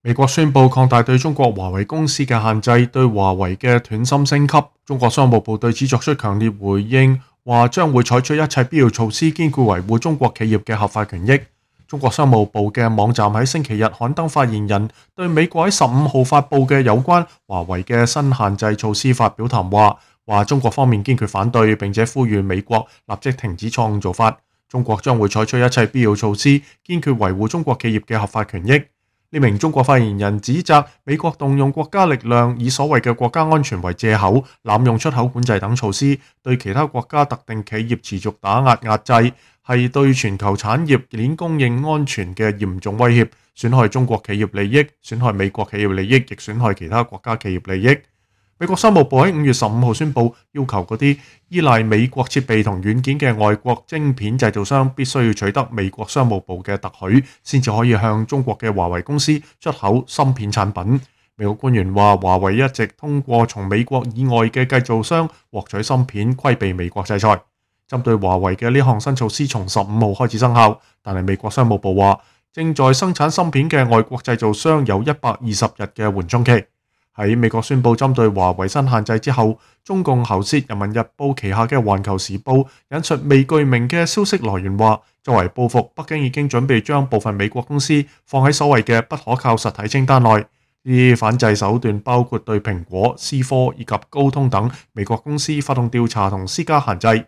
美國宣布擴大對中國華為公司嘅限制，對華為嘅斷芯升級。中國商務部對此作出強烈回應，話將會採取一切必要措施，堅決維護中國企業嘅合法權益。中國商務部嘅網站喺星期日刊登發言人對美國喺15號發布嘅有關華為嘅新限制措施發表談話，話中國方面堅決反對，並且呼籲美國立即停止錯誤做法。中國將會採取一切必要措施，堅決維護中國企業嘅合法權益。呢名中國發言人指責美國動用國家力量，以所謂嘅國家安全為借口，濫用出口管制等措施，對其他國家特定企業持續打壓制，係對全球產業鏈供應安全嘅嚴重威脅，損害中國企業利益，損害美國企業利益，亦損害其他國家企業利益。美國商務部喺5月15號宣布，要求嗰啲依賴美國設備同軟件嘅外國晶片製造商必須要取得美國商務部嘅特許，先至可以向中國嘅華為公司出口芯片產品。美國官員話，華為一直通過從美國以外嘅製造商獲取芯片，規避美國制裁。針對華為嘅呢項新措施從15號開始生效，但係美國商務部話，正在生產芯片嘅外國製造商有120日嘅緩衝期。喺美國宣布針對華為新限制之後，中共喉舌《人民日報》旗下嘅《環球時報》引述未具名嘅消息來源話，作為報復，北京已經準備將部分美國公司放喺所謂嘅不可靠實體清單內。呢啲反制手段包括對蘋果、思科以及高通等美國公司發動調查同施加限制。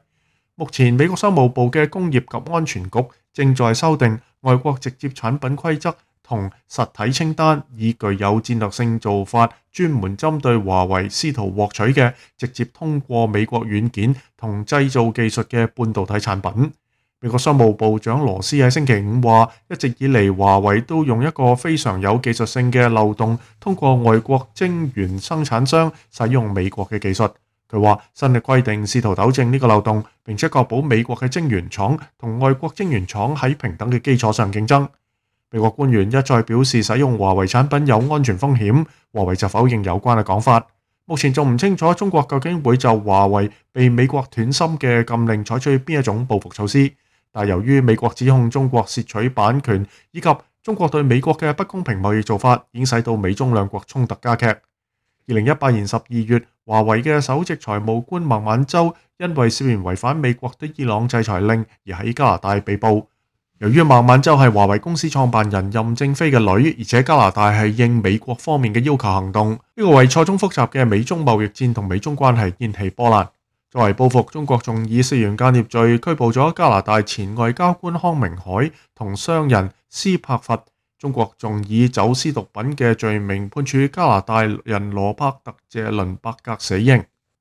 目前，美國商務部嘅工業及安全局正在修訂外國直接產品規則同實體清單，以具有戰略性做法，專門針對華為試圖獲取嘅直接通過美國軟件同製造技術嘅半導體產品。美國商務部長羅斯喺星期五話，一直以嚟華為都用一個非常有技術性嘅漏洞，通過外國晶圓生產商使用美國嘅技術。佢話新嘅規定試圖糾正呢個漏洞，並且確保美國嘅晶圓廠同外國晶圓廠喺平等嘅基礎上競爭。美國官員一再表示使用華為產品有安全風險，華為就否認有關嘅講法。目前仲唔清楚中國究竟會就華為被美國斷芯嘅禁令採取邊一種報復措施，但由於美國指控中國竊取版權以及中國對美國嘅不公平貿易做法，已經使到美中兩國衝突加劇。2018年12月，華為嘅首席財務官孟晚舟因為涉嫌違反美國對伊朗制裁令而喺加拿大被捕。由於孟晚舟係華為公司創辦人任正非嘅女，而且加拿大係應美國方面嘅要求行動，呢個為錯綜複雜嘅美中貿易戰同美中關係掀起波瀾。作為報復，中國仲以涉嫌間諜罪拘捕咗加拿大前外交官康明凱同商人斯帕弗。中國仲以走私毒品嘅罪名判處加拿大人羅伯特謝倫伯格死刑。